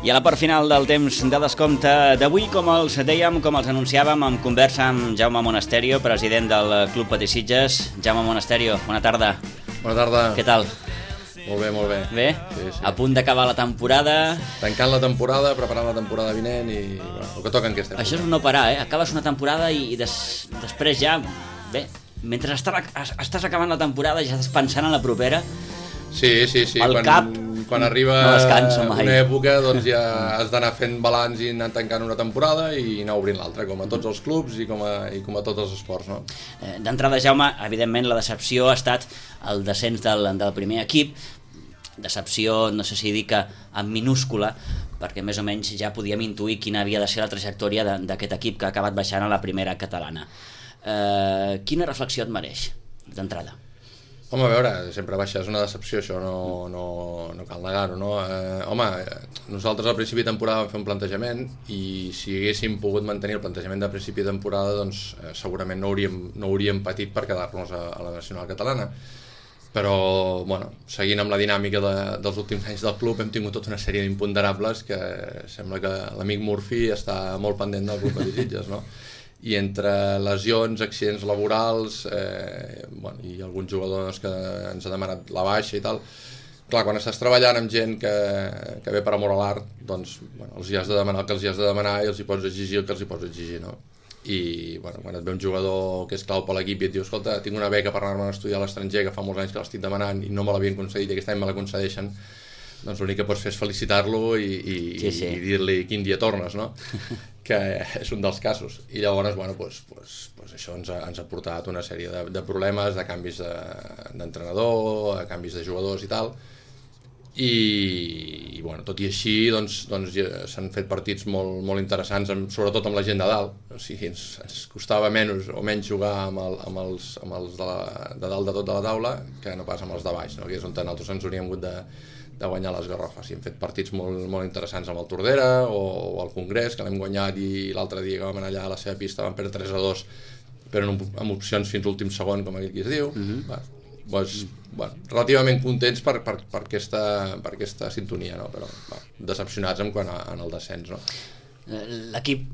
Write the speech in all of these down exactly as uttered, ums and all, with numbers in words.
I a la part final del temps de descompte d'avui, com els dèiem, com els anunciàvem, en conversa amb Jaume Monasterio, president del Club Patí Sitges. Jaume Monasterio, bona tarda. Bona tarda. Què tal? Molt bé, molt bé. Bé? Sí, sí. A punt d'acabar la temporada. Tancant la temporada, preparant la temporada vinent i bueno, el que toca en aquesta època. Això és un no parar, eh? Acabes una temporada i des, després ja... Bé, mentre estàs, estàs acabant la temporada ja estàs pensant en la propera. Sí, sí, sí. El quan, cap quan arriba no descansa mai. Una època doncs ja has d'anar fent balanç i anar tancant una temporada i anar obrint l'altra, com a tots els clubs i com a, i com a tots els esports, no? D'entrada, Jaume, evidentment la decepció ha estat el descens del, del primer equip. Decepció, no sé si dir que en minúscula, perquè més o menys ja podíem intuir quina havia de ser la trajectòria d'aquest equip que ha acabat baixant a la primera catalana. Eh, quina reflexió et mereix, d'entrada? Home, a veure, sempre baixar és una decepció, això no, no, no cal negar-ho, no? Eh, home, nosaltres al principi de temporada vam fer un plantejament i si haguéssim pogut mantenir el plantejament de principi de temporada, doncs eh, segurament no hauríem, no hauríem patit per quedar-nos a, a la nacional catalana. Però, bueno, seguint amb la dinàmica de, dels últims anys del club, hem tingut tota una sèrie d'imponderables que sembla que l'amic Murphy està molt pendent del Club Patí Sitges, no? I entre lesions, accidents laborals eh, bueno, i alguns jugadors que ens ha demanat la baixa i tal, clar, quan estàs treballant amb gent que, que ve per amor a l'art, doncs bueno, els hi has de demanar el que els hi has de demanar i els hi pots exigir el que els hi pots exigir, no? I bueno, quan et ve un jugador que és clau per l'equip i et diu, escolta, tinc una beca per anar-me a estudiar a l'estranger que fa molts anys que l'estic demanant i no me l'havien concedit i aquest any me la concedeixen, doncs l'únic que pots fer és felicitar-lo i, i, sí, sí. i dir-li quin dia tornes, no? Que és un dels casos. I llavors, bueno, pues, pues, pues això ens ha, ens ha portat una sèrie de, de problemes, de canvis d'entrenador, de canvis de jugadors i tal. I, i bueno, tot i així, doncs, doncs ja s'han fet partits molt, molt interessants, amb, sobretot amb la gent de dalt. O sigui, ens, ens costava menys o menys jugar amb, el, amb els, amb els de, la, de dalt de tot de la taula que no pas amb els de baix, no? Que és on nosaltres ens hauríem hagut de de guanyar les garrofes, i hem fet partits molt, molt interessants amb el Tordera o, o el Congrés, que l'hem guanyat, i l'altre dia que vam anar allà a la seva pista vam perdre tres a dos, però amb, amb opcions fins l'últim segon, com aquell qui es diu. Uh-huh. Va, doncs, bueno, relativament contents per, per, per, aquesta, per aquesta sintonia, no? Però va, decepcionats en quant a, en el descens, no? L'equip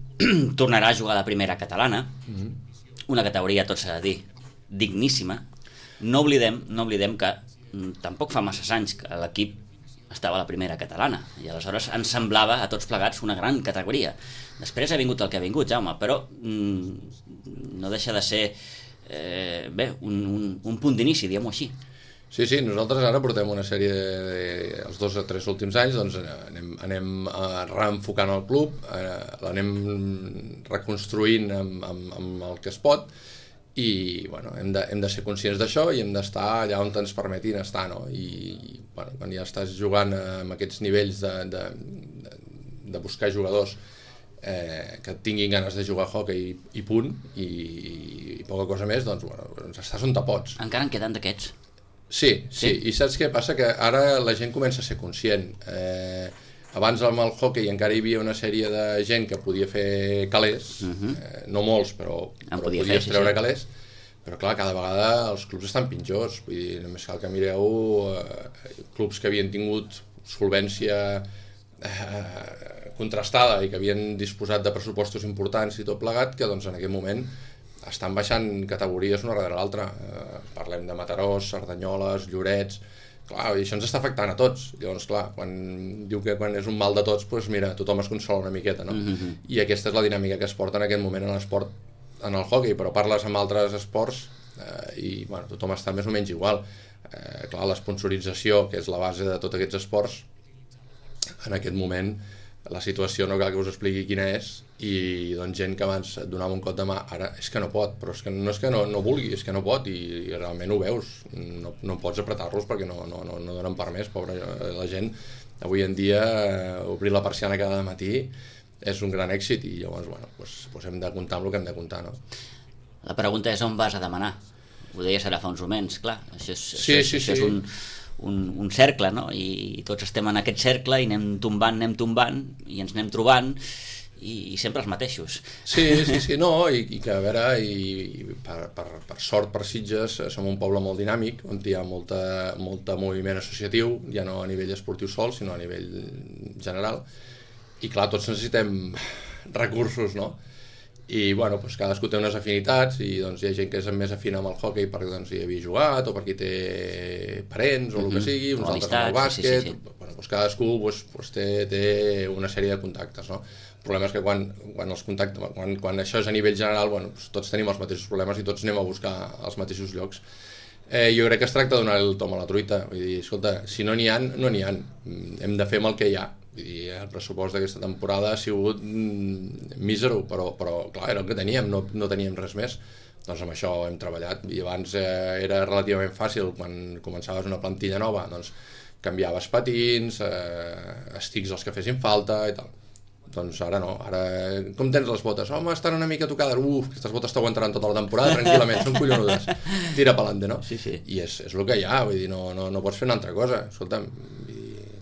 tornarà a jugar a la primera catalana, uh-huh. Una categoria, tot s'ha de dir, digníssima. No oblidem, no oblidem que tampoc fa massa anys que l'equip estava a la primera catalana, i aleshores ens semblava a tots plegats una gran categoria. Després ha vingut el que ha vingut, Jaume, però mm, no deixa de ser eh, bé, un, un, un punt d'inici, diguem-ho així. Sí, sí, nosaltres ara portem una sèrie de, els dos o tres últims anys, doncs anem, anem reenfocant el club, eh, l'anem reconstruint amb, amb, amb el que es pot, i bueno, hem, de, hem de ser conscients d'això i hem d'estar allà on ens permetin estar, no? I bueno, quan ja estàs jugant amb aquests nivells de, de, de, de buscar jugadors eh, que tinguin ganes de jugar a hockey i, i punt, i, i poca cosa més, doncs bueno, estàs on te pots. Encara en queden d'aquests? Sí, sí, sí, i saps què passa? Que ara la gent comença a ser conscient. Eh, abans amb el hockey encara hi havia una sèrie de gent que podia fer calés, uh-huh. eh, no molts, però, però podia podies fer, treure sí, sí. calés, però clar, cada vegada els clubs estan pitjors, vull dir, només cal que mireu eh, clubs que havien tingut solvència eh, contrastada i que havien disposat de pressupostos importants i tot plegat, que doncs en aquest moment estan baixant categories una darrere l'altra. Eh, parlem de Mataró, Cerdanyoles, Llorets. Clar, i això ens està afectant a tots. Llavors, clar, quan diu que quan és un mal de tots, doncs mira, tothom es consola una miqueta, no? Mm-hmm. I aquesta és la dinàmica que es porta en aquest moment en l'esport, en el hockey, però parles amb altres esports eh, i bueno, tothom està més o menys igual. Eh, clar, l'esponsorització, que és la base de tots aquests esports, en aquest moment la situació no cal que us expliqui quina és, i doncs gent que abans et donava un cop de mà, ara és que no pot, però és que no és que no, no vulgui, és que no pot, i, i realment ho veus, no, no pots apretar-los perquè no, no, no, no donen per més, pobra la gent. Avui en dia eh, obrir la persiana cada matí és un gran èxit, i llavors bueno, doncs, doncs hem de comptar amb el que hem de comptar, no? La pregunta és on vas a demanar. Ho deies ara fa uns moments, clar, això és, sí, això, sí, això sí. és un, un, un cercle, no? I, i tots estem en aquest cercle i anem tombant, anem tombant i ens anem trobant, i, i sempre els mateixos. Sí, sí, sí, no, i, i que a veure, i, i per, per, per sort per Sitges som un poble molt dinàmic, on hi ha molta, molta moviment associatiu, ja no a nivell esportiu sol, sinó a nivell general, i clar, tots necessitem recursos, no? I bueno, doncs cadascú té unes afinitats i doncs hi ha gent que és més afina amb el hockey perquè doncs, hi havia jugat o perquè té parents o el que sigui, uns altres amb el bàsquet, sí, sí, sí. Bueno, doncs cadascú doncs, doncs té, té una sèrie de contactes, no? El problema és que quan, quan, els contactes, quan, quan això és a nivell general, bueno, doncs tots tenim els mateixos problemes i tots anem a buscar els mateixos llocs. Eh, jo crec que es tracta de donar el tom a la truita, vull dir, escolta, si no n'hi ha, no n'hi ha, hem de fer amb el que hi ha. Vull dir, el pressupost d'aquesta temporada ha sigut mm, mísero, però, però clar, era el que teníem, no, no teníem res més. Doncs amb això hem treballat i abans eh, era relativament fàcil, quan començaves una plantilla nova, doncs canviaves patins, eh, estics els que fessin falta i tal. Doncs ara no, ara com tens les botes? Home, estan una mica tocades, uf, aquestes botes t'aguantaran tota la temporada tranquil·lament, són collonudes, tira pelante, no? Sí, sí. I és, és el que hi ha, vull dir, no, no, no pots fer una altra cosa, escolta'm,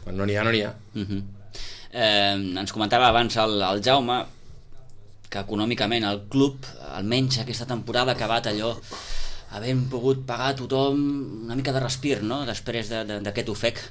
quan no n'hi ha, no n'hi ha. Uh-huh. Eh, ens comentava abans el, el Jaume que econòmicament el club, almenys aquesta temporada, ha acabat allò havent pogut pagar a tothom una mica de respir, no?, després d'aquest ofec.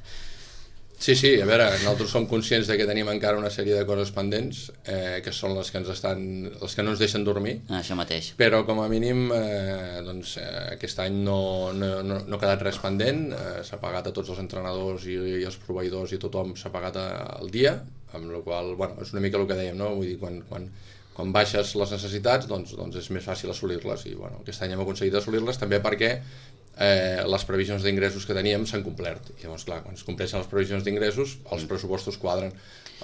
Sí, sí, a veure, nosaltres som conscients de que tenim encara una sèrie de coses pendents, eh, que són les que ens estan, les que no ens deixen dormir. Ah, això mateix. Però com a mínim, eh, doncs, eh, aquest any no, no, no, no ha quedat res pendent, eh, s'ha pagat a tots els entrenadors i, i els proveïdors i tothom s'ha pagat al dia, amb la qual, bueno, és una mica el que dèiem, no? Vull dir, quan, quan, quan baixes les necessitats, doncs, doncs és més fàcil assolir-les, i bueno, aquest any hem aconseguit assolir-les també perquè Eh, les previsions d'ingressos que teníem s'han complert i llavors clar, quan es compleixen les previsions d'ingressos els pressupostos quadren.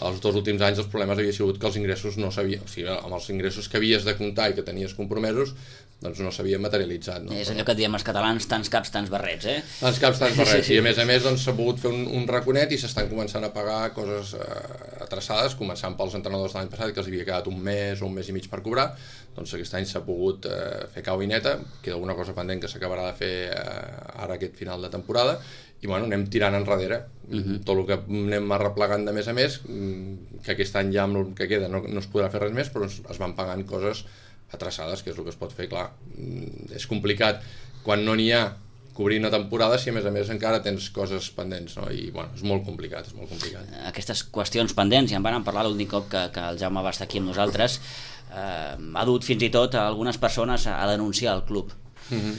Els dos últims anys els problemes havia sigut que els ingressos no s'havien, o sigui, amb els ingressos que havies de comptar i que tenies compromesos doncs no s'havien materialitzat, no? És allò que diem els catalans, tants caps, tants barrets, eh? Tants caps, tants barrets, sí, sí. I a més a més doncs, s'ha pogut fer un, un raconet i s'estan començant a pagar coses eh, atraçades, començant pels entrenadors de l'any passat que els havia quedat un mes o un mes i mig per cobrar, doncs aquest any s'ha pogut eh, fer cau i neta, queda alguna cosa pendent que s'acabarà de fer eh, ara aquest final de temporada, i bueno, anem tirant enrere, uh-huh. Tot el que anem arreplegant de més a més, que aquest any ja amb el que queda no, no es podrà fer res més, però es, es van pagant coses atraçades, que és el que es pot fer, clar, és complicat quan no n'hi ha cobrir una temporada si a més a més encara tens coses pendents, no? I bueno, és molt complicat, és molt complicat. Aquestes qüestions pendents, ja en van parlar l'últim cop que, que el Jaume va estar aquí amb nosaltres, eh, ha dut fins i tot a algunes persones a, a denunciar el club. Uh-huh.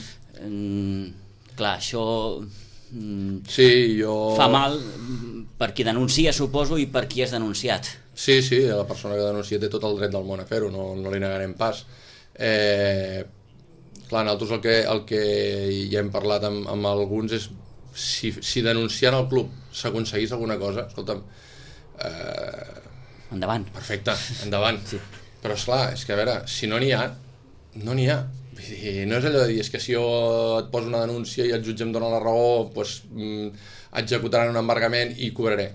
mm, clar, això mm, sí, jo... fa mal per qui denuncia, suposo, i per qui és denunciat. Sí, sí, la persona que denuncia té tot el dret del món a fer-ho, no, no li negarem pas. Eh, clar, nosaltres el que, el que ja hem parlat amb, amb alguns és si, si denunciant el club s'aconseguís alguna cosa, escolta'm, eh, endavant. Perfecte, endavant. Sí. Però esclar, és que a veure, si no n'hi ha, no n'hi ha. Vull dir, no és allò de dir, és que si jo et poso una denúncia i el jutge em dona la raó, doncs mm, executaran un embargament i cobraré.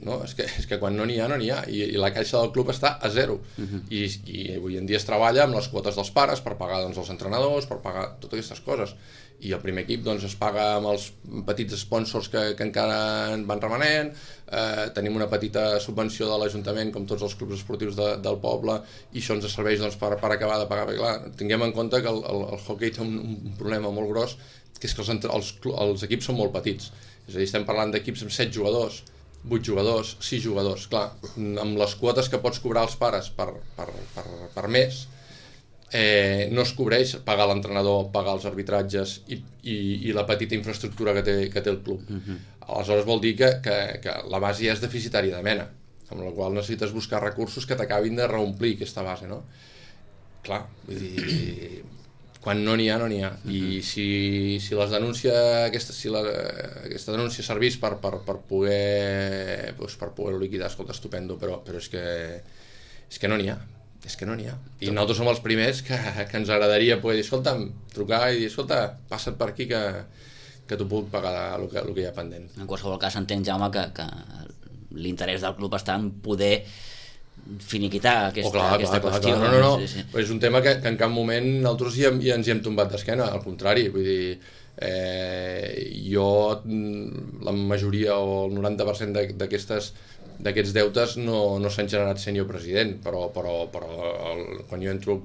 No, és que, és que quan no n'hi ha, no n'hi ha, I, i la caixa del club està a zero. Uh-huh. I, i avui en dia es treballa amb les quotes dels pares per pagar doncs, els entrenadors, per pagar totes aquestes coses. I el primer equip doncs, es paga amb els petits sponsors que, que encara van remanent, eh, tenim una petita subvenció de l'Ajuntament com tots els clubs esportius de, del poble, i això ens serveix doncs, per, per acabar de pagar. Perquè, clar, tinguem en compte que el, el, el hockey té un, un problema molt gros, que és que els, els, els equips són molt petits. És a dir, estem parlant d'equips amb set jugadors, vuit jugadors, sis jugadors, clar, amb les quotes que pots cobrar als pares per, per, per, per mes, eh, no es cobreix pagar l'entrenador, pagar els arbitratges i, i, i la petita infraestructura que té, que té el club. Uh-huh. Aleshores vol dir que, que, que la base ja és deficitària de mena, amb la qual necessites buscar recursos que t'acabin de reomplir aquesta base, no? Clar, vull dir... Quan no n'hi ha, no n'hi ha. Uh-huh. I si, si les denúncia, aquesta, si la, aquesta denúncia servís per, per, per poder doncs per poder liquidar, escolta, estupendo, però, però és que és que no n'hi ha. És que no n'hi ha. I nosaltres som els primers que, que ens agradaria poder dir, escolta'm, trucar i dir, escolta, passa't per aquí que, que t'ho puc pagar el que, el que hi ha pendent. En qualsevol cas entenc, Jaume, que, que l'interès del club està en poder finiquitar aquesta, oh, clar, aquesta clar, qüestió. Clar, no, no, no. Sí, sí. És un tema que, que en cap moment nosaltres ja, ja ens hi hem tombat d'esquena, al contrari, vull dir, eh, jo la majoria o el noranta per cent d'aquestes d'aquests deutes no, no s'han generat sent jo president, però, però, però el, quan jo entro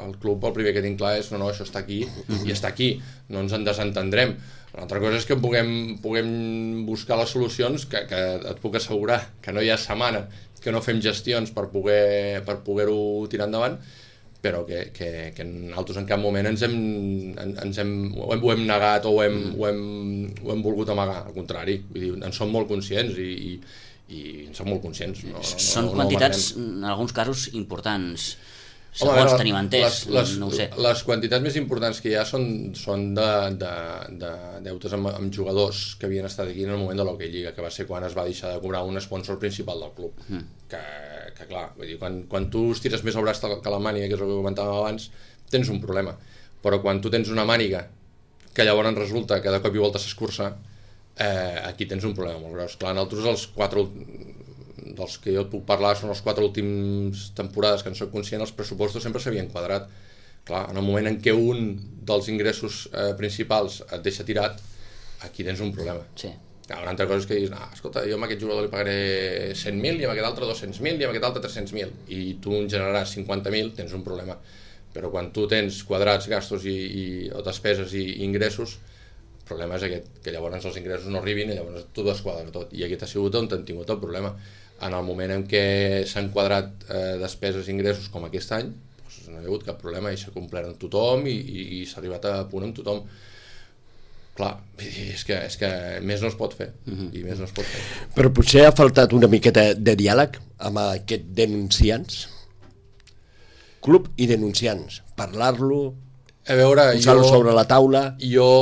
al club el primer que tinc clar és no, no, això està aquí i està aquí, no ens en desentendrem. Una altra cosa és que puguem, puguem buscar les solucions, que, que et puc assegurar que no hi ha setmana que no fem gestions per poder per poder-ho tirar endavant, però que, que, que nosaltres en cap moment ens hem, ens hem, ho, hem, ho hem negat o ho hem, ho, hem, ho hem volgut amagar, al contrari, vull dir, en som molt conscients i, i, i en som molt conscients. No, no, Són no, quantitats, no en alguns casos, importants, Home, segons veure, tenim entès, les, les, no ho sé. Les quantitats més importants que hi ha són, són de, de, de deutes amb, amb jugadors que havien estat aquí en el moment de l'Hockey Lliga, que va ser quan es va deixar de cobrar un sponsor principal del club. Mm. Que, que clar, vull dir, quan, quan tu estires més el braç que la màniga, que és el que comentàvem abans, tens un problema. Però quan tu tens una màniga que llavors resulta que de cop i volta s'escurça, eh, aquí tens un problema molt gros. Clar, nosaltres els quatre dels que jo et puc parlar són les quatre últimes temporades que en soc conscient, els pressupostos sempre s'havien quadrat. Clar, en el moment en què un dels ingressos eh, principals et deixa tirat, aquí tens un problema. Sí. Clar, una altra cosa és que dius, ah, escolta, jo amb aquest jugador li pagaré cent mil i amb aquest altre dos-cents mil i amb aquest altre tres-cents mil i tu en generaràs cinquanta mil, tens un problema. Però quan tu tens quadrats, gastos i, i, o despeses i, i ingressos, el problema és aquest, que llavors els ingressos no arribin i llavors tu desquadra tot. I aquest ha sigut on han tingut el problema. En el moment en què s'han quadrat eh, despeses i ingressos com aquest any, doncs no hi ha hagut cap problema i s'ha complert amb tothom i, i, i s'ha arribat a punt amb tothom. Clar, és que, és que més no es pot fer, mm-hmm. i més no es pot fer. Però potser ha faltat una miqueta de diàleg amb aquest denunciants, club i denunciants, parlar-lo, a veure, posar-lo jo, sobre la taula. Jo,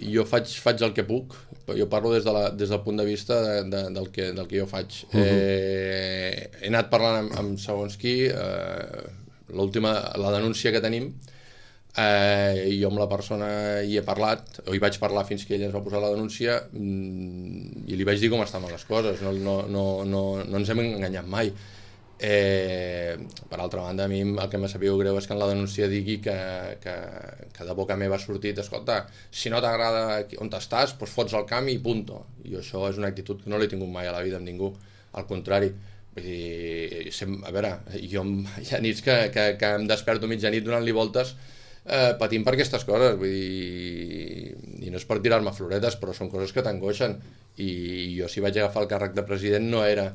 jo faig, faig el que puc, jo parlo des, de la, des del punt de vista de, de, del, que, del que jo faig. Uh-huh. eh, he anat parlant amb, amb segons qui, eh, l'última, la denúncia que tenim, eh, i jo amb la persona hi he parlat, o hi vaig parlar fins que ella ens va posar la denúncia, mm, i li vaig dir com estaven les coses, no, no, no, no, no ens hem enganyat mai. Eh, per altra banda, a mi el que m'ha sabut greu és que en la denúncia digui que, que, que de boca meva ha sortit, escolta, si no t'agrada on estàs, doncs fots al camp i punto. I això és una actitud que no l'he tingut mai a la vida amb ningú, al contrari. Vull dir, sem, a veure, jo hi ha nits que, que, que em desperto mitjanit donant-li voltes eh, patint per aquestes coses, vull dir, i no és per tirar-me floretes, però són coses que t'angoixen, i jo si vaig agafar el càrrec de president no era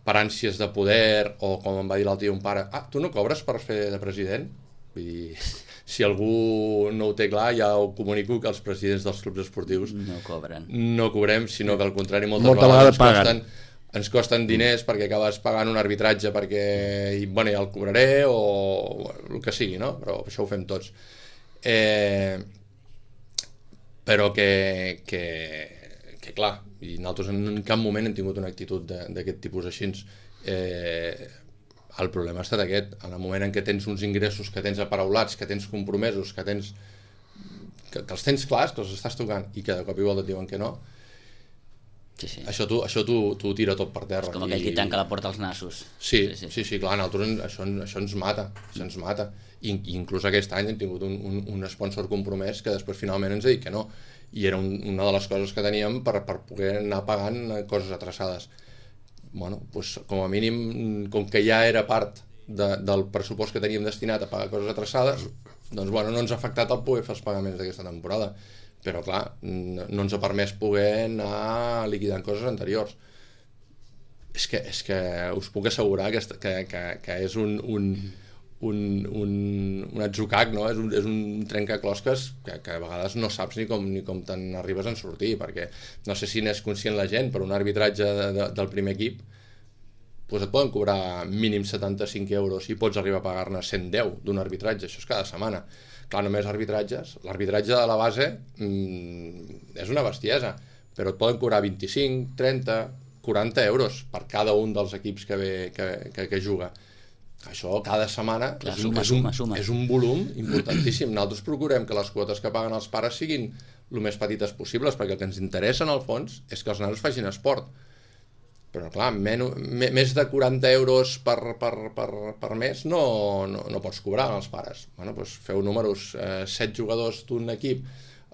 per ànsies de poder, o com em va dir l'altre dia un pare, ah, tu no cobres per fer de president? Vull dir, si algú no ho té clar, ja ho comunico que els presidents dels clubs esportius no cobren. No cobrem, sinó que al contrari moltes Molta vegades ens costen, ens costen diners perquè acabes pagant un arbitratge perquè, i, bueno, ja el cobraré, o el que sigui, no? Però això ho fem tots. Eh, però que, que, que clar, i nosaltres en cap moment hem tingut una actitud d'aquest tipus així. Eh, el problema ha estat aquest, en el moment en què tens uns ingressos que tens aparaulats, que tens compromesos, que tens que, que els tens clars, que els estàs tocant i que de cop i volta et diuen que no, sí, sí. això tu, això tu, tu tira tot per terra. És com aquell qui tanca la porta als nassos. Sí, sí, sí, sí, sí, clar, nosaltres això, això ens mata, això ens mata. I, i inclús aquest any hem tingut un, un, un sponsor compromès que després finalment ens ha dit que no, i era un, una de les coses que teníem per, per poder anar pagant coses atrasades. Bueno, doncs, com a mínim, com que ja era part de, del pressupost que teníem destinat a pagar coses atrasades, doncs bueno, no ens ha afectat el poder fer els pagaments d'aquesta temporada, però clar, no, no ens ha permès poder anar liquidant coses anteriors. És que, és que us puc assegurar que, que, que, que és un... un un, un, un atzucac, no? És un, és un trencaclosques que, que a vegades no saps ni com, ni com te'n arribes a sortir, perquè no sé si n'és conscient la gent, però un arbitratge de, de, del primer equip doncs et poden cobrar mínim setanta-cinc euros i pots arribar a pagar-ne cent deu d'un arbitratge, això és cada setmana. Clar, només arbitratges, l'arbitratge de la base mmm, és una bestiesa, però et poden cobrar vint-i-cinc, trenta, quaranta euros per cada un dels equips que, ve, que, que, que juga. Això cada setmana Clar, és, un, suma, és, un, suma, suma. és un volum importantíssim. Nosaltres procurem que les quotes que paguen els pares siguin el més petites possibles, perquè el que ens interessa en el fons és que els nanos facin esport. Però clar, men, me, més de quaranta euros per, per, per, per mes no, no, no pots cobrar als pares. Bueno, doncs feu números, eh, set jugadors d'un equip,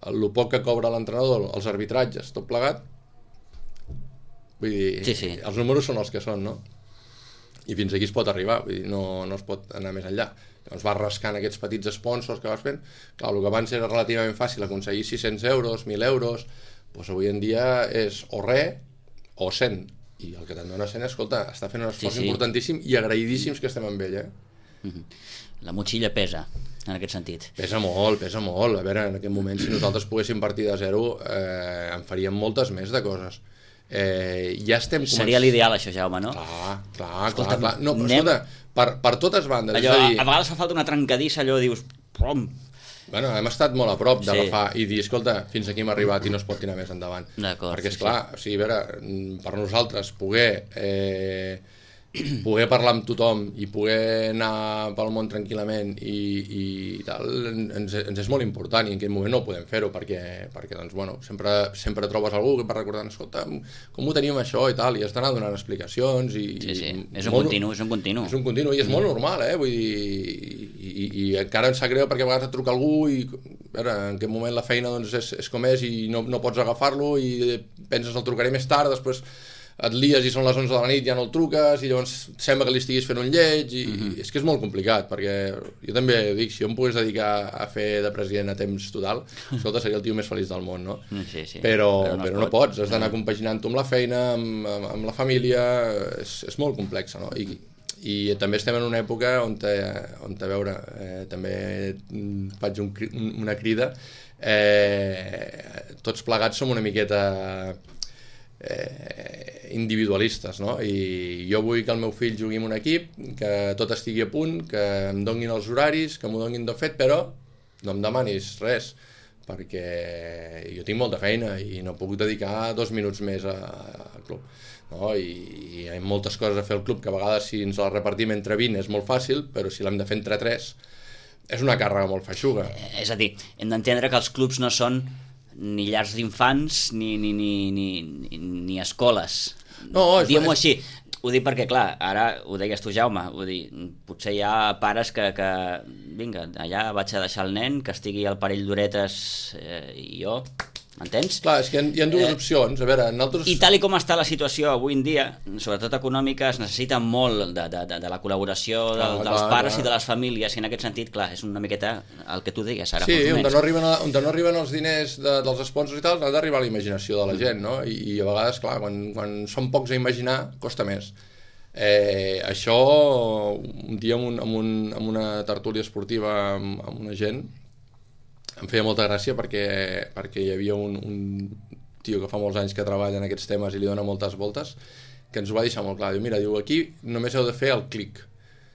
el poc que cobra l'entrenador, els arbitratges, tot plegat, Vull dir, sí, sí. els números són els que són, no? I fins aquí es pot arribar, vull dir, no, no es pot anar més enllà. Llavors vas rascant aquests petits sponsors que vas fent. Clar, el que abans era relativament fàcil aconseguir sis-cents euros, mil euros, doncs avui en dia és o res o cent. I el que te'n dona cent, escolta, està fent un esforç sí, sí. importantíssim i agraïdíssims que estem amb ell, eh? La motxilla pesa, en aquest sentit. Pesa molt, pesa molt. A veure, en aquest moment, si nosaltres poguéssim partir de zero, eh, en faríem moltes més de coses. Eh, ja estem començant... Seria l'ideal, això, Jaume, no? Clar, clar, escolta, clar, clar. No, anem... escolta, per, per totes bandes. Allò, és a, dir... a vegades fa falta una trencadissa, allò, dius... Pom. Bueno, hem estat molt a prop d'agafar sí. i dir, escolta, fins aquí hem arribat i no es pot tirar més endavant. Perquè, esclar, sí, sí. O sigui, a veure, per nosaltres poder... Eh, poder parlar amb tothom i poder anar pel món tranquil·lament i, i tal, ens, ens és molt important i en aquest moment no ho podem fer-ho perquè, perquè doncs, bueno, sempre, sempre trobes algú que va recordant, escolta, com ho teníem això i tal, i has d'anar donant explicacions i, sí, sí. I, és un molt, continu, és un continu és un continu i és mm. molt normal, eh? Vull dir, i, i, i encara em sap greu perquè a vegades et truca algú i a veure, en aquest moment la feina doncs, és, és com és i no, no pots agafar-lo i penses el trucaré més tard, després et lies i són les onze de la nit, ja no el truques i llavors sembla que li estiguis fent un lleig i, mm-hmm. i és que és molt complicat perquè jo també dic, si jo em pogués dedicar a fer de president a temps total, escolta, seria el tio més feliç del món, no? Sí, sí. Però, però, no, però no pots, has d'anar compaginant-ho amb la feina, amb, amb, amb la família, és, és molt complex, no? I, i també estem en una època on, te, on te, a veure, eh, també faig un, una crida, eh, tots plegats som una miqueta eh, individualistes, no? I jo vull que el meu fill jugui en un equip, que tot estigui a punt, que em donguin els horaris, que m'ho donguin de fet, però no em demanis res, perquè jo tinc molta feina i no puc dedicar dos minuts més al club, no? I, i hi ha moltes coses a fer al club que a vegades si ens la repartim entre vint és molt fàcil, però si l'hem de fer entre tres és una càrrega molt feixuga. És a dir, hem d'entendre que els clubs no són ni llars d'infants ni, ni, ni, ni, ni escoles. No, diguem-ho així. Ho dic perquè, clar, ara ho deies tu, Jaume, ho dic, potser hi ha pares que, que vinga, allà vaig a deixar el nen, que estigui al parell d'horetes eh, i jo, m'entens? Clar, és que hi ha, hi ha dues eh, opcions. A veure, nosaltres... I tal i com està la situació avui en dia, sobretot econòmica, es necessita molt de, de, de, de la col·laboració de, ah, dels clar, pares clar. I de les famílies, i en aquest sentit, clar, és una miqueta el que tu deies ara. Sí, on no, arriben, on no arriben els diners de, dels sponsors i tal, ha d'arribar a la imaginació de la gent, no? I, i a vegades, clar, quan, quan són pocs a imaginar, costa més. Eh, això, un dia amb, un, amb, un, amb una tertúlia esportiva amb, amb una gent, em feia molta gràcia perquè, perquè hi havia un, un tio que fa molts anys que treballa en aquests temes i li dona moltes voltes, que ens ho va deixar molt clar. Diu, mira, diu, aquí només heu de fer el clic.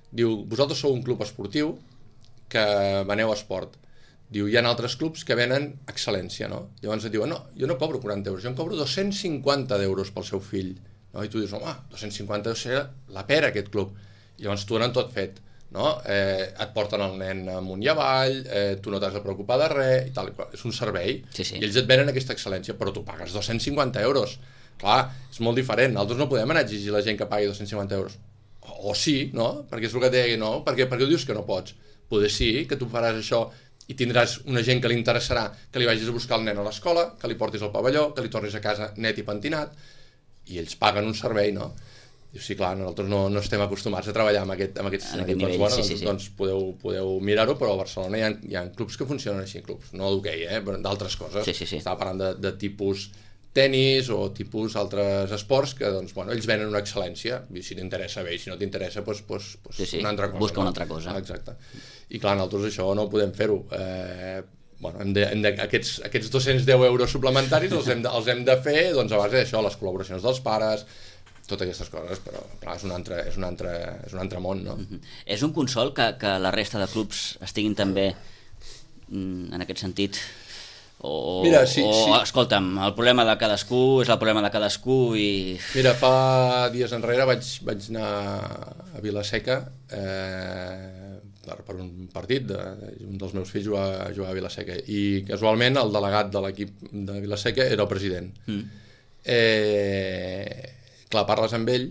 Diu, vosaltres sou un club esportiu que veneu a esport. Diu, hi ha altres clubs que venen excel·lència, no? Llavors et diuen, no, jo no cobro quaranta euros, jo em cobro dos-cents cinquanta euros pel seu fill. No? I tu dius, home, dos-cents cinquanta euros serà la pera aquest club. I llavors t'ho donen tot fet. No? Eh, et porten el nen amunt i avall, eh, tu no t'has de preocupar de res i tal, és un servei, sí, sí. I ells et venen aquesta excel·lència, però tu pagues dos-cents cinquanta euros. Clar, és molt diferent, nosaltres no podem anar a exigir a la gent que pagui dos-cents cinquanta euros, o, o sí, no? Perquè és el que té, no? Perquè, perquè dius que no pots, poder sí, que tu faràs això i tindràs una gent que li interessarà que li vagis a buscar el nen a l'escola, que li portis al pavelló, que li tornis a casa net i pentinat, i ells paguen un servei, no? Diu, sí, clar, nosaltres no, no estem acostumats a treballar amb, aquest, amb aquests en aquest nivell, bueno, sí, sí, sí. Doncs podeu, podeu mirar-ho, però a Barcelona hi ha, hi ha clubs que funcionen així, clubs, no d'hoquei, eh, d'altres coses. Sí, sí, sí. Estava parlant de, de tipus tenis o tipus altres esports que, doncs, bueno, ells venen una excel·lència, i si t'interessa bé, i si no t'interessa, doncs, doncs, doncs sí, sí. una altra cosa. Busca no? una altra cosa. Ah, exacte. I clar, nosaltres això no ho podem fer-ho. Eh, bueno, hem de, hem de, aquests, aquests dos-cents deu euros suplementaris els hem de, els hem de fer doncs, a base d'això, les col·laboracions dels pares, totes aquestes coses, però clar, és un altre, és un altre, és un altre món, no? Mm-hmm. És un consol que, que la resta de clubs estiguin també mm, en aquest sentit? O, Mira, sí, o sí. escolta'm, el problema de cadascú és el problema de cadascú i... Mira, fa dies enrere vaig, vaig anar a Vila-seca eh, per, per un partit, de, un dels meus fills jugava, jugava a Vila-seca i casualment el delegat de l'equip de Vila-seca era el president. Mm. Eh... Clar, parles amb ell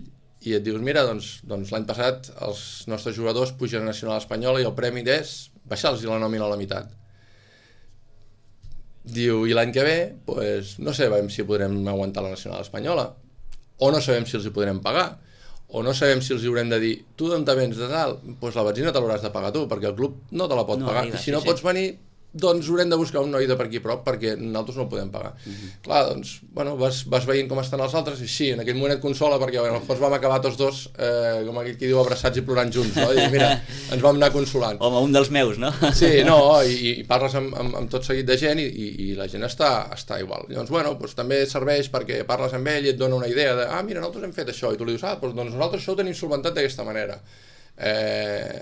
i et dius, mira, doncs, doncs l'any passat els nostres jugadors pugen a Nacional Espanyola i el premi és baixar-los la nòmina a la meitat. Diu, i l'any que ve, pues, no sé si podrem aguantar la Nacional Espanyola. o no sabem si els hi podrem pagar, o no sabem si els hi haurem de dir tu d'on te vens de tal, doncs la benzina te l'hauràs de pagar tu, perquè el club no te la pot no pagar, arriba, i si no sí, pots venir, doncs haurem de buscar un noi de per aquí prop perquè nosaltres no el podem pagar. Mm-hmm. Clar, doncs, bueno, vas, vas veient com estan els altres i sí, en aquell moment et consola perquè bueno, fons vam acabar tots dos, eh, com aquell qui diu, abraçats i plorant junts, no? I mira, ens vam anar consolant. Home, un dels meus, no? Sí, no, i, i parles amb, amb, amb tot seguit de gent i, i, i la gent està, està igual. Llavors, bueno, doncs, també serveix perquè parles amb ell i et dona una idea de, ah, mira, nosaltres hem fet això, i tu li dius, ah, doncs, doncs nosaltres això ho tenim solventat d'aquesta manera. Eh,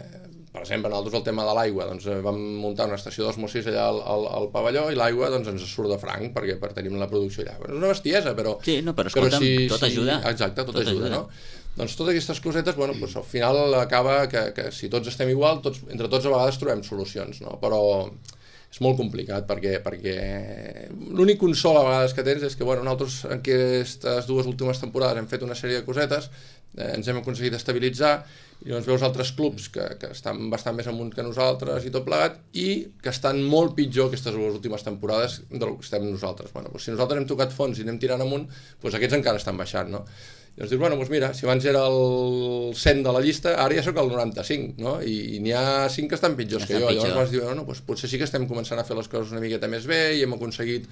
per exemple, nosaltres el tema de l'aigua, doncs vam muntar una estació d'osmosis allà al, al, al pavelló i l'aigua doncs, ens surt de franc perquè per tenim la producció allà. És una bestiesa, però... Sí, no, però escolta'm, però si, tot si, ajuda. Exacte, tot, tot ajuda, ajuda, no? Doncs totes aquestes cosetes, bueno, doncs al final acaba que, que si tots estem igual, tots, entre tots a vegades trobem solucions, no? Però és molt complicat perquè, perquè l'únic consol a vegades que tens és que bueno, nosaltres en aquestes dues últimes temporades hem fet una sèrie de cosetes, eh, ens hem aconseguit estabilitzar i llavors veus altres clubs que, que estan bastant més amunt que nosaltres i tot plegat i que estan molt pitjor aquestes dues últimes temporades del que estem nosaltres. Bueno, doncs si nosaltres hem tocat fons i anem tirant amunt, doncs aquests encara estan baixant, no? Llavors dius, bueno, doncs mira, si abans era el cent de la llista, ara ja sóc el noranta-cinc, no? I, i n'hi ha cinc que estan pitjors ja que jo. Pitjor. Llavors vas dir, no, doncs potser sí que estem començant a fer les coses una miqueta més bé i hem aconseguit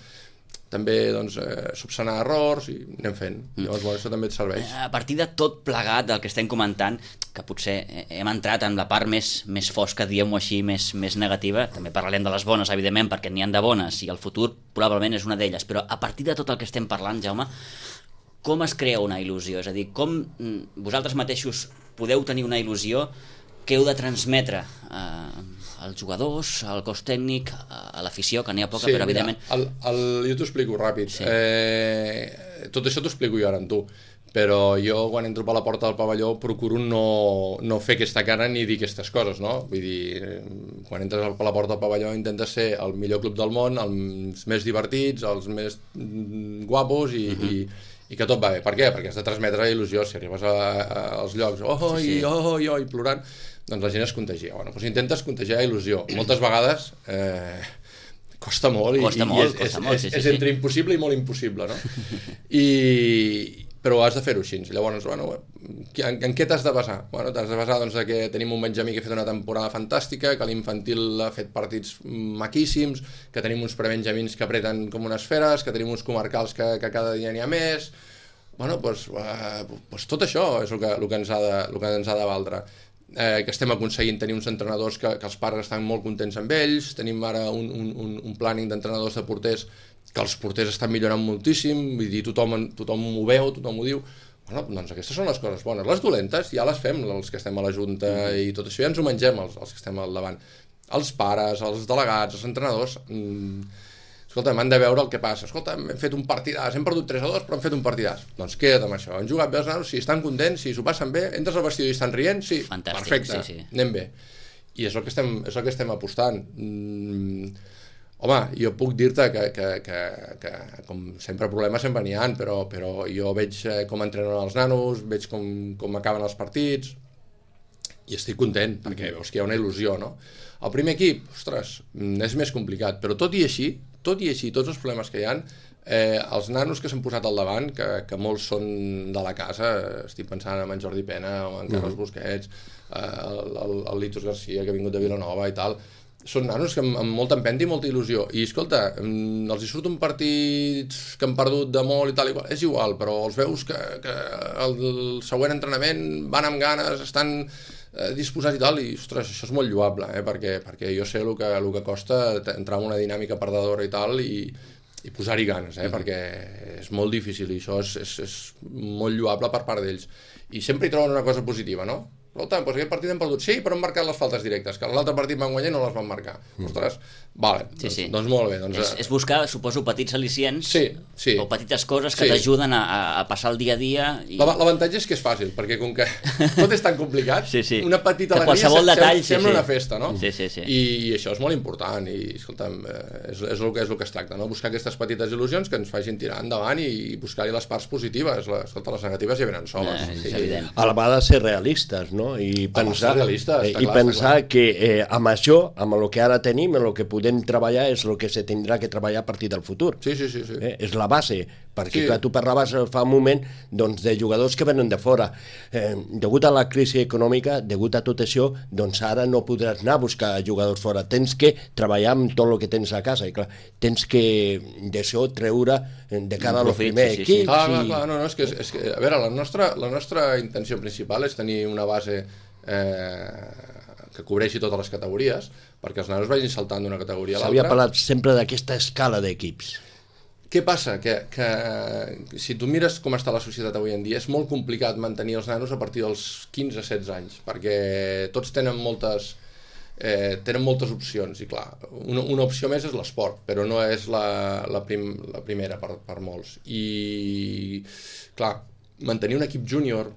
també doncs, eh, subsanar errors i anem fent. Llavors, bueno, això també et serveix. A partir de tot plegat del que estem comentant, que potser hem entrat en la part més, més fosca, diguem-ho així, més, més negativa, també parlarem de les bones, evidentment, perquè n'hi han de bones i el futur probablement és una d'elles, però a partir de tot el que estem parlant, Jaume, com es crea una il·lusió? És a dir, com vosaltres mateixos podeu tenir una il·lusió que heu de transmetre eh, als jugadors, al cos tècnic, a l'afició, que n'hi ha poca, sí, però evidentment... Mira, el, el, jo t'ho explico ràpid. Sí. Eh, tot això t'ho explico jo ara amb tu, però jo quan entro per la porta del pavelló procuro no, no fer aquesta cara ni dir aquestes coses, no? Vull dir, quan entres per la porta del pavelló intentes ser el millor club del món, els més divertits, els més guapos i... Uh-huh. i i que tot va bé. Per què? Perquè has de transmetre il·lusió. Si arribes a, a, als llocs oh, sí, sí. i oh, i oh, i plorant, doncs la gent es contagia. Bueno, doncs intentes contagiar il·lusió. Moltes vegades eh, costa molt, costa i, molt, i és, costa és, molt, és, sí, sí, és entre sí. impossible i molt impossible, no? I, però has de fer-ho així. Llavors, bueno, en, en què t'has de basar? Bueno, t'has de basar doncs, que tenim un Benjamí que ha fet una temporada fantàstica, que l'infantil ha fet partits maquíssims, que tenim uns prebenjamins que apreten com unes feres, que tenim uns comarcals que, que cada dia n'hi ha més... Bueno, doncs, eh, doncs tot això és el que, el que ens ha de, el que ens ha de valdre. Eh, que estem aconseguint tenir uns entrenadors que, que els pares estan molt contents amb ells, tenim ara un, un, un planning d'entrenadors de porters que els porters estan millorant moltíssim, vull dir, tothom, tothom ho veu, tothom ho diu. Bueno, doncs aquestes són les coses bones. Les dolentes ja les fem, els que estem a la Junta, i tot això ja ens ho mengem, els, els que estem al davant. Els pares, els delegats, els entrenadors... Mmm, escolta, m'han de veure el que passa. Escolta, hem fet un partidàs, hem perdut tres a dos, però hem fet un partidàs. Doncs queda't amb això. Han jugat bé els nanos, si estan contents, si s'ho passen bé, entres al vestidor i estan rient, sí, fantàstic, perfecte, sí, sí. Anem bé. I és el que estem, és el que estem apostant. Mm, home, jo puc dir-te que, que, que, que, com sempre problemes sempre n'hi ha, però, però jo veig com entrenen els nanos, veig com, com acaben els partits, i estic content, perquè veus que hi ha una il·lusió, no? El primer equip, ostres, és més complicat, però tot i així, tot i així, tots els problemes que hi ha, eh, els nanos que s'han posat al davant, que, que molts són de la casa, estic pensant en en Jordi Pena o en Carles Busquets, eh, el, el, el Litos Garcia, que ha vingut de Vilanova i tal, són nanos que amb, amb molta empenta i molta il·lusió. I escolta, els hi surt un partit que han perdut de molt i tal, igual, és igual, però els veus que, que el, el següent entrenament van amb ganes, estan eh, disposats i tal, i ostres, això és molt lloable, eh, perquè, perquè jo sé el que, el que costa entrar en una dinàmica perdedora i tal, i, i posar-hi ganes, eh, mm-hmm. perquè és molt difícil i això és, és, és molt lloable per part d'ells. I sempre hi troben una cosa positiva, no? Escolta, doncs aquest partit hem perdut, sí, però hem marcat les faltes directes, que l'altre partit van guanyar i no les van marcar. Mm. Ostres, vale, sí, doncs, sí. doncs molt bé. Doncs, és, és buscar, suposo, petits al·licients sí, sí. o petites coses que sí. t'ajuden a, a passar el dia a dia. I... L'avantatge és que és fàcil, perquè com que tot és tan complicat, sí, sí. una petita alegria se, detall, sí, sembla sí. una festa, no? Sí, sí, sí. I, I això és molt important, i escolta'm, és, és, el que, és el que es tracta, no? Buscar aquestes petites il·lusions que ens facin tirar endavant i, i buscar-hi les parts positives, les, escolta, les negatives ja venen soles. Eh, sí. A la vegada ser realistes, no? I pensar, realista, eh, clar, i pensar que eh, amb això, amb el que ara tenim, amb el que podem treballar, és el que se tindrà que treballar a partir del futur. Sí, sí, sí. sí. Eh, és la base, perquè Sí. clar, tu parlaves fa un moment doncs, de jugadors que venen de fora. Eh, degut a la crisi econòmica, degut a tot això, doncs ara no podràs anar a buscar jugadors fora. Tens que treballar amb tot el que tens a casa i clar, tens que d'això treure de cara als Profit, primers sí, sí, sí. equips. Clar, clar, i... clar, no, no, és que, és que, a veure, la nostra, la nostra intenció principal és tenir una base eh, que cobreixi totes les categories, perquè els nanos vagin saltant d'una categoria a S'havia l'altra. parlat sempre d'aquesta escala d'equips. Què passa? Que, que si tu mires com està la societat avui en dia, és molt complicat mantenir els nanos a partir dels quinze setze anys, perquè tots tenen moltes, eh, tenen moltes opcions, i clar, una, una opció més és l'esport, però no és la, la, prim, la primera per, per molts. I, clar, mantenir un equip júnior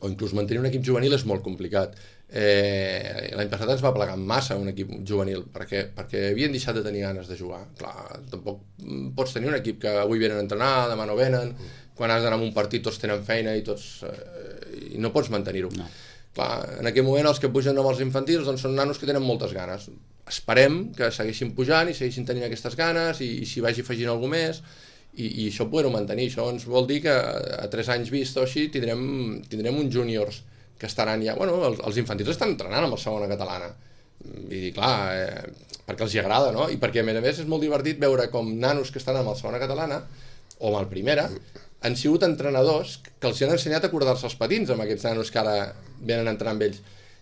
o inclús mantenir un equip juvenil és molt complicat. Eh, L'any passat ens va plegar massa un equip juvenil perquè, perquè havien deixat de tenir ganes de jugar. Clar, tampoc pots tenir un equip que avui venen a entrenar, demà no venen, quan has d'anar a un partit tots tenen feina i tots eh, i no pots mantenir-ho. No. Clar, en aquell moment els que pugen amb els infantils doncs són nanos que tenen moltes ganes. Esperem que segueixin pujant i segueixin tenint aquestes ganes i, i s'hi vagi afegint alguna més i, i això poder-ho mantenir. Això ens vol dir que a tres anys vist o així tindrem, tindrem uns júniors que estaran ja... Bueno, els, els infantils estan entrenant amb la segona catalana. Vull dir, clar, eh, perquè els hi agrada, no? I perquè, a més a més, és molt divertit veure com nanos que estan amb la segona catalana o amb el primera han sigut entrenadors que els han ensenyat a cordar-se els patins amb aquests nanos que ara venen a entrenar amb ells.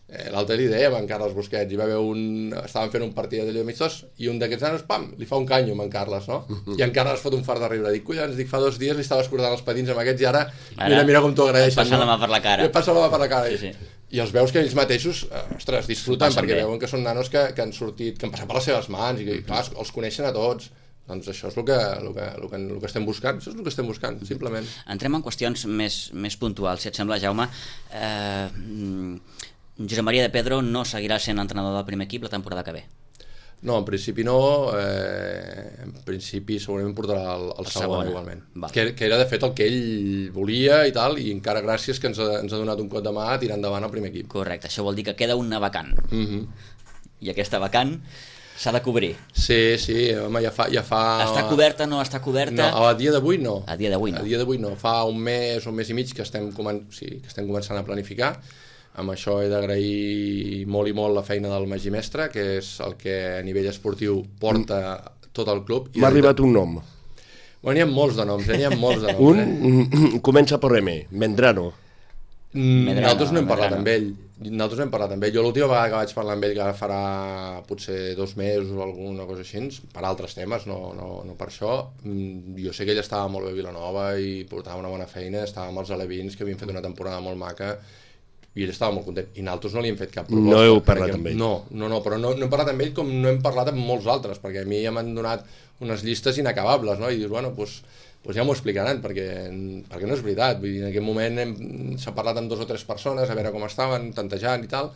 Eh, L'altre li dèiem a en Carles Busquets, hi va haver un... Estaven fent un partit d'allò amistós i un d'aquests nanos, pam, li fa un canyo amb en Carles, no? I en Carles fot un fart de riure. Dic, collons, dic, fa dos dies li estaves cordant els patins amb aquests i ara, Ara, mira, mira com t'ho agraeixen. Passa la mà per la cara. Et passa la mà per la cara. Sí, sí. I els veus que ells mateixos, eh, ostres, disfruten Passen perquè bé. veuen que són nanos que, que han sortit, que han passat per les seves mans i que, clar, els coneixen a tots. Doncs això és el que, el que, el que, el que estem buscant, això és el que estem buscant, simplement. Entrem en qüestions més, més puntuals, si et sembla, Jaume. Eh, Josep Maria de Pedro no seguirà sent entrenador del primer equip la temporada que ve. No, en principi no, eh, en principi segurament portarà el, el, el segon segona. igualment. Vale. Que, que era de fet el que ell volia i tal, i encara gràcies que ens ha, ens ha donat un cop de mà a tirar endavant el primer equip. Correcte, això vol dir que queda una vacant. Mm-hmm. I aquesta vacant s'ha de cobrir. Sí, sí, home, ja fa... Ja fa... Està coberta, no està coberta? No, a dia d'avui no. A dia d'avui no. A dia d'avui no. Fa un mes o un mes i mig que estem, comen... sí, que estem començant a planificar. Amb això he d'agrair molt i molt la feina del Magí Mestre, que és el que a nivell esportiu porta tot el club. M'ha arribat un nom. Bueno, n'hi ha molts de noms, eh? N'hi ha molts de noms. Un Eh? comença per M, Mendrano. Mm, Medrano, nosaltres no hem parlat Medrano. amb ell. Nosaltres no hem parlat amb ell. Jo l'última vegada que vaig parlar amb ell, que ara farà potser dos mesos o alguna cosa així, per altres temes, no, no, no per això, mm, jo sé que ell estava molt bé a Vilanova i portava una bona feina, estava amb els alevins, que havien fet una temporada molt maca, i ell estava molt content. I nosaltres no li hem fet cap proposta. No heu parlat perquè, amb ell? No, no, no, però no, no hem parlat amb ell com no hem parlat amb molts altres, perquè a mi ja m'han donat unes llistes inacabables, no? I dius, bueno, doncs, doncs ja m'ho explicaran, perquè, perquè no és veritat. Vull dir, en aquest moment hem, s'ha parlat amb dos o tres persones, a veure com estaven, tantejant i tal,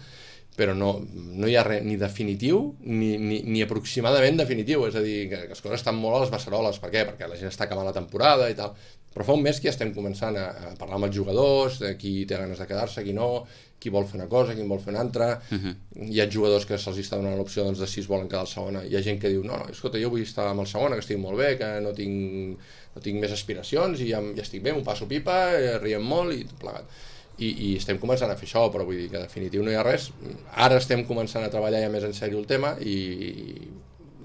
però no, no hi ha res ni definitiu ni, ni, ni aproximadament definitiu, és a dir, que, que les coses estan molt a les beceroles. Per què? Perquè la gent està acabant la temporada i tal. Però fa un mes que ja estem començant a, a parlar amb els jugadors, de qui té ganes de quedar-se, qui no, qui vol fer una cosa, qui en vol fer una altra. Uh-huh. Hi ha jugadors que se'ls està donant l'opció doncs, de si es volen quedar al segona. Hi ha gent que diu, no, no, escolta, jo vull estar amb el segona, que estic molt bé, que no tinc, no tinc més aspiracions i ja, ja estic bé, m'ho passo pipa, riem molt i tot plegat. I, i estem començant a fer això, però vull dir que en definitiu no hi ha res. Ara estem començant a treballar ja més en sèrio el tema i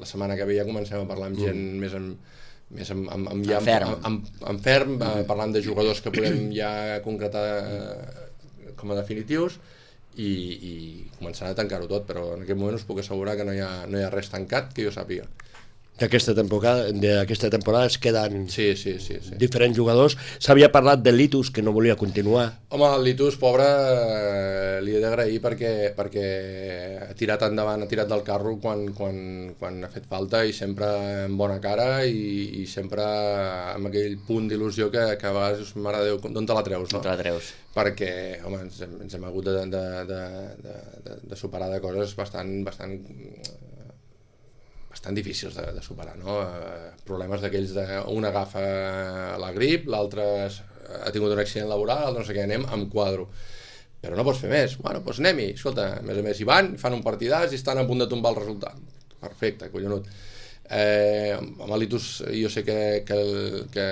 la setmana que ve ja comencem a parlar amb gent mm. més en més amb, amb, amb, ja, en ferm, amb, amb, amb ferm mm-hmm. parlant de jugadors que podem ja concretar eh, com a definitius i, i començant a tancar-ho tot, però en aquest moment us puc assegurar que no hi ha, no hi ha res tancat que jo sàpiga. D'aquesta temporada, d'aquesta temporada es queden sí, sí, sí, sí. diferents jugadors. S'havia parlat de Litus, que no volia continuar. Home, el Litus, pobre, eh, li he d'agrair perquè, perquè ha tirat endavant, ha tirat del carro quan, quan, quan ha fet falta i sempre amb bona cara i, i sempre amb aquell punt d'il·lusió que, que a vegades, mare de Déu, d'on te la treus, no? On te la treus? Perquè, home, ens hem, ens hem hagut de, de, de, de, de, de superar de coses bastant, bastant bastant difícils de, de superar, no? Eh, problemes d'aquells de un agafa la grip, l'altre ha tingut un accident laboral, l'altre no sé què, anem amb quadro. Però no pots fer més. Bueno, doncs anem-hi. Escolta, a més a més hi van, fan un partidàs i estan a punt de tombar el resultat. Perfecte, collonut. Eh, amb l'Itus jo sé que, que, que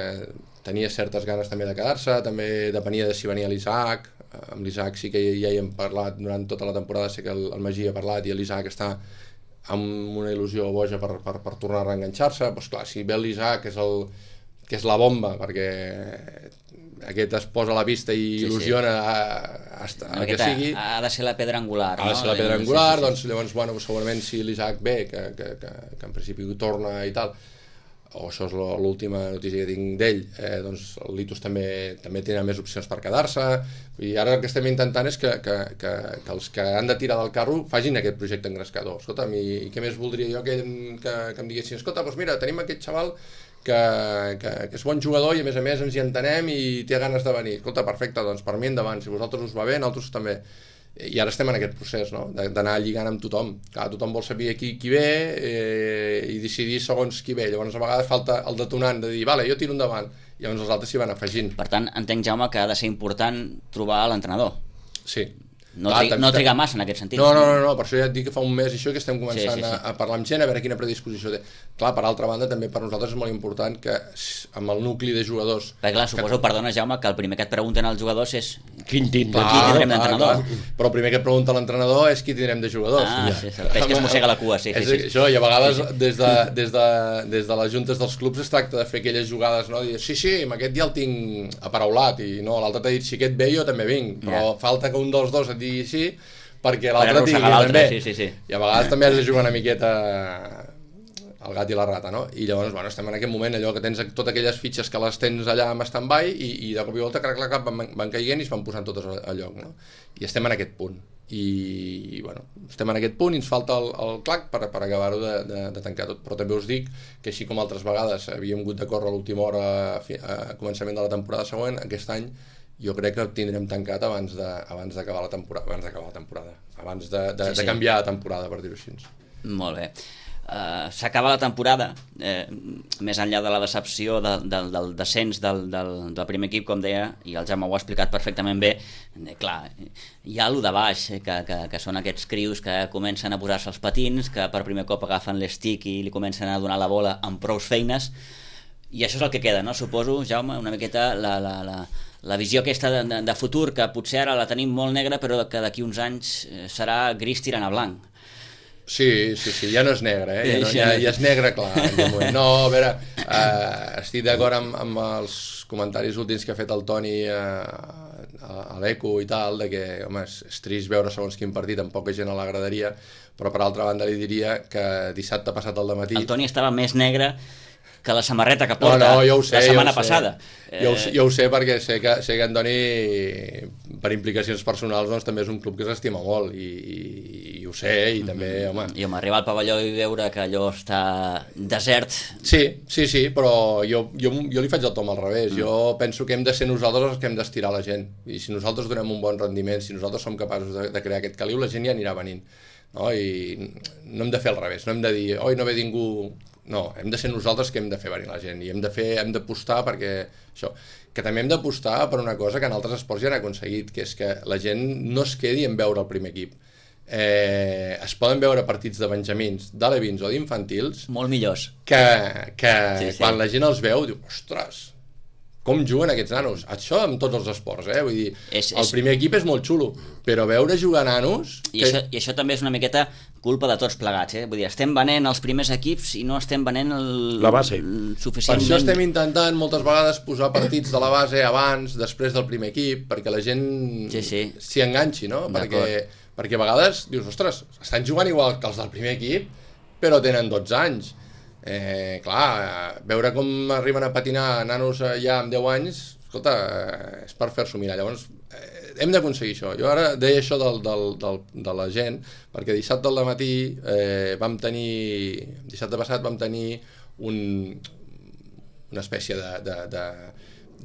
tenia certes ganes també de quedar-se, també depenia de si venia l'Isaac. Amb l'Isaac sí que ja hi hem parlat durant tota la temporada, sé que el, el Magí ha parlat i l'Isaac està amb una il·lusió boja per, per, per tornar a reenganxar-se. Doncs clar, si ve l'Isaac, que és, el, que és la bomba, perquè aquest es posa a la pista i sí, il·lusiona sí. a, a, a, a que sigui. Ha de ser la pedra angular. Ha de ser no? la pedra angular, sí, sí, sí. Doncs llavors, bueno, segurament si l'Isaac ve, que, que, que, que en principi torna i tal, o això és l'última notícia que tinc d'ell, eh, doncs el Litus també, també tindrà més opcions per quedar-se, i ara el que estem intentant és que, que, que, que els que han de tirar del carro facin aquest projecte engrescador. Escolta'm, i, i què més voldria jo que, que, que em diguessin, escolta, doncs mira, tenim aquest xaval que, que, que és bon jugador i a més a més ens hi entenem i té ganes de venir. Escolta, perfecte, doncs per mi endavant, si vosaltres us va bé, nosaltres també. I ara estem en aquest procés, no? D'anar lligant amb tothom. Clar, tothom vol saber qui, qui ve eh, i decidir segons qui ve. Llavors a vegades falta el detonant de dir, vale, jo tiro endavant, i llavors els altres s'hi van afegint. Per tant, entenc, Jaume, que ha de ser important trobar l'entrenador. Sí. No, Clar, triga, no triga massa en aquest sentit. No, no, no, no, per això ja et dic que fa un mes i això que estem començant sí, sí, sí. A, a parlar amb gent, a veure quina predisposició té. Clar, per altra banda, també per nosaltres és molt important que amb el nucli de jugadors... Perquè clar, suposo, que... perdona, Jaume, que el primer que et pregunten als jugadors és quin tindrem, qui tindrem d'entrenador. Però el primer que et pregunta l'entrenador és qui tindrem de jugadors. Ah, sí, sí, el peix que es mossega la cua, sí, sí, sí. Això, i a vegades sí, sí. Des, de, des, de, des de les juntes dels clubs es tracta de fer aquelles jugades, no? Dir, sí, sí, amb aquest ja el tinc aparaulat, i no, l'altre t'ha dit, si aquest ve jo també vinc, però ja. Falta que un dels dos et digui sí, perquè l'altre tingui també. Sí, sí, sí. I a vegades també has de jugar una miqueta el gat i la rata, no? I llavors, bueno, estem en aquest moment allò que tens totes aquelles fitxes que les tens allà amb stand-by i, i de cop i volta, crac, crac, van, van caient i es van posant totes a lloc, no? I estem en aquest punt. I, i bueno, estem en aquest punt i ens falta el, el clac per, per acabar-ho de, de, de tancar tot. Però també us dic que així com altres vegades havíem hagut de córrer a l'última hora a, a començament de la temporada següent, aquest any jo crec que el tindrem tancat abans de, abans d'acabar la temporada, abans d'acabar la temporada, abans de, de, sí, sí. de canviar la temporada, per dir-ho així. Molt bé. Uh, s'acaba la temporada, eh, més enllà de la decepció de, de, del descens del, del, del primer equip, com deia, i el Jaume ho ha explicat perfectament bé, eh, clar, hi ha allò de baix, eh, que, que, que són aquests crios que comencen a posar-se els patins, que per primer cop agafen l'estic i li comencen a donar la bola amb prous feines, i això és el que queda, no? Suposo, Jaume, una miqueta la, la, la, la visió aquesta de, de, de futur, que potser ara la tenim molt negra, però que d'aquí uns anys serà gris tirant a blanc. Sí, sí, sí, ja no és negre, eh? Ja, no, ja, ja és negre, clar. No, a veure, eh, estic d'acord amb, amb els comentaris últims que ha fet el Toni eh, a, a l'Eco i tal, de que, home, és, és trist veure segons quin partit amb poca gent a la graderia, però per altra banda li diria que dissabte passat al dematí... El Toni estava més negre que la samarreta que porta no, no, jo ho sé, la setmana jo ho sé. passada. Jo, ho, jo ho sé perquè sé que, sé que en Toni, per implicacions personals, doncs, també és un club que s'estima molt i, i, i ho sé, i mm-hmm. també, home... I home, arribar al pavelló i veure que allò està desert... Sí, sí, sí, però jo, jo, jo li faig el tom al revés. Mm. Jo penso que hem de ser nosaltres els que hem d'estirar la gent. I si nosaltres donem un bon rendiment, si nosaltres som capaços de, de crear aquest caliu, la gent ja anirà venint. No? I no hem de fer al revés, no hem de dir, oi, no ve ningú... No, hem de ser nosaltres que hem de fer venir la gent i hem de fer, hem d'apostar perquè això, que també hem d'apostar per una cosa que en altres esports ja han aconseguit, que és que la gent no es quedi en veure el primer equip. Eh, es poden veure partits de benjamins, d'alevins o d'infantils molt millors que, que sí, sí. Quan la gent els veu diu, ostres, com juguen aquests nanos? Això amb tots els esports, eh? Vull dir, és, el és... primer equip és molt xulo, però veure jugar nanos... I, que... això, I això també és una miqueta culpa de tots plegats, eh? Vull dir, estem venent els primers equips i no estem venent el... la base. El suficientment... Per això estem intentant moltes vegades posar partits de la base abans, després del primer equip, perquè la gent s'hi sí, sí. enganxi, no? Perquè, perquè a vegades dius, ostres, estan jugant igual que els del primer equip, però tenen dotze anys. Eh, clar, veure com arriben a patinar nanos ja amb deu anys, escolta, eh, és per fer-s'ho mirar. Llavors, eh, hem d'aconseguir això. Jo ara deia això del, del, del, de la gent, perquè dissabte al matí eh, vam tenir, dissabte passat vam tenir un, una espècie de, de, de,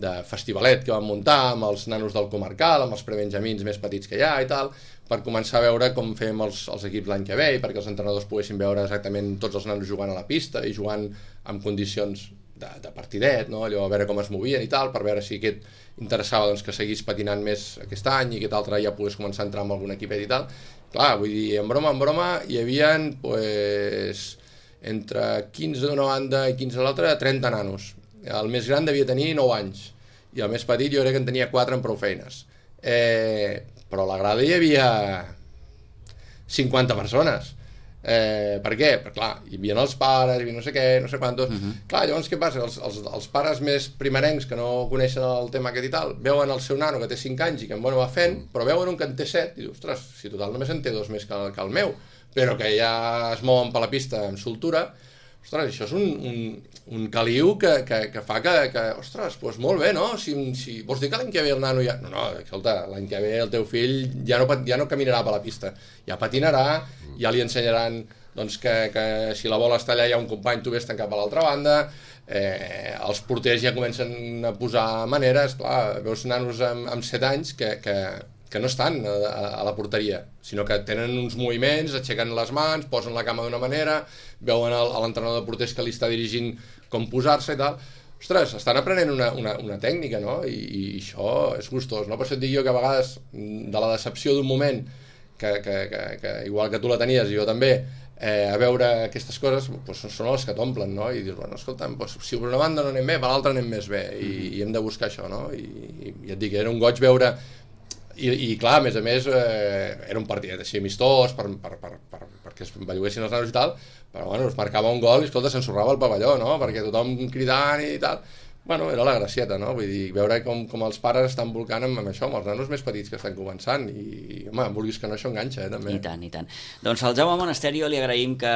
de festivalet que vam muntar amb els nanos del comarcal, amb els prebenjamins més petits que hi ha i tal, per començar a veure com fem els, els equips l'any que ve i perquè els entrenadors poguessin veure exactament tots els nanos jugant a la pista i jugant en condicions de, de partidet, no? Allò, a veure com es movien i tal, per veure si aquest interessava doncs, que seguís patinant més aquest any i aquest altre ja pogués començar a entrar en algun equipet i tal. Clar, vull dir, en broma, en broma, hi havia, pues, entre quinze d'una banda i quinze de l'altra, trenta nanos. El més gran devia tenir nou anys, i el més petit jo crec que en tenia quatre amb prou feines. Eh, però a la grada hi havia cinquanta persones. Eh, per què? Perquè clar, hi havia els pares, hi havia no sé què, no sé quantos. Uh -huh. Clar, llavors què passa? Els, els, els pares més primerencs que no coneixen el tema aquest i tal, veuen el seu nano que té cinc anys i que bueno, va fent, però veuen un que en té set i dius, ostres, si total només en té dos més que el, que el meu, però que ja es mouen per la pista amb soltura. Ostres, això és un, un, un caliu que, que, que fa que, que ostres, doncs molt bé, no? Si, si, vols dir que l'any que ve el nano ja... No, no, escolta, l'any que ve el teu fill ja no, ja no caminarà per la pista, ja patinarà, ja li ensenyaran doncs, que, que si la bola està allà hi ha un company, tu vés tancat a l'altra banda, eh, els porters ja comencen a posar maneres, clar, veus nanos amb, amb set anys que... que que no estan a, a la porteria, sinó que tenen uns moviments, aixequen les mans, posen la cama d'una manera, veuen el, l'entrenador de porters que li està dirigint com posar-se i tal. Ostres, estan aprenent una, una, una tècnica, no? I, i això és gustós, no? Per això et dic jo que a vegades, de la decepció d'un moment, que, que, que, que igual que tu la tenies i jo també, eh, a veure aquestes coses, doncs són les que t'omplen, no? I dius, bueno, escolta'm, doncs, si per una banda no anem bé, per l'altra anem més bé, i, i hem de buscar això, no? I, i, i et dic, era un goig veure. I, i clar, a més a més, eh, era un partit així amistós per, per, per, per, perquè es belluguessin els nanos i tal, però bueno, es marcava un gol i escolta, s'ensorrava el pavelló, no? Perquè tothom cridant i tal. Bueno, era la gracieta, no? Vull dir, veure com, com els pares estan volcant amb, amb això, amb els nanos més petits que estan començant i, home, vulguis que no, això enganxa, eh, també. I tant, i tant. Doncs al Jaume Monasterio li agraïm que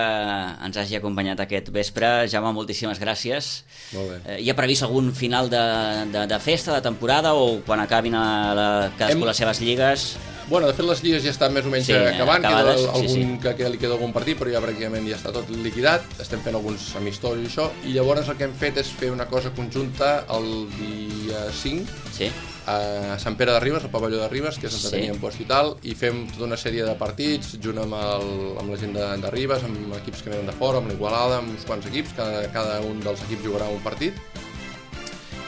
ens hagi acompanyat aquest vespre. Jaume, moltíssimes gràcies. Molt bé. Eh, hi ha previst algun final de, de, de festa, de temporada, o quan acabin a la, cadascú Hem... les seves lligues? Bueno, de fet les lligues ja estan més o menys sí, acabant, acabades, queda algun, sí, sí. Que, que li queda algun partit, però ja pràcticament ja està tot liquidat, estem fent alguns amistosos i això, i llavors el que hem fet és fer una cosa conjunta el dia cinc, sí. a Sant Pere de Ribes, al pavelló de Ribes, que és on sí. teníem post i tal, i fem tota una sèrie de partits, junt amb, el, amb la gent de, de Ribes, amb equips que venen de fora, amb l'Igualada, amb uns quants equips, cada, cada un dels equips jugarà un partit,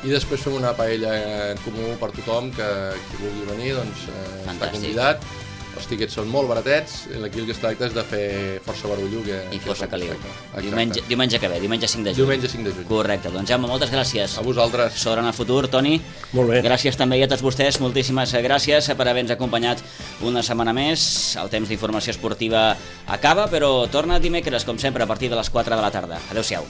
i després fem una paella en comú per tothom que qui vulgui venir doncs, eh, està convidat. Els tiquets són molt baratets, aquí el que es tracta és de fer força barullo que, i força caliu. Diumenge, diumenge que ve, diumenge cinc de juny. Diumenge cinc de juny. Correcte, doncs Jaume, moltes gràcies. A vosaltres. Sobre en el futur, Toni. Molt bé. Gràcies també a tots vostès, moltíssimes gràcies per haver-nos acompanyat una setmana més. El temps d'informació esportiva acaba, però torna dimecres, com sempre, a partir de les quatre de la tarda. Adéu-siau.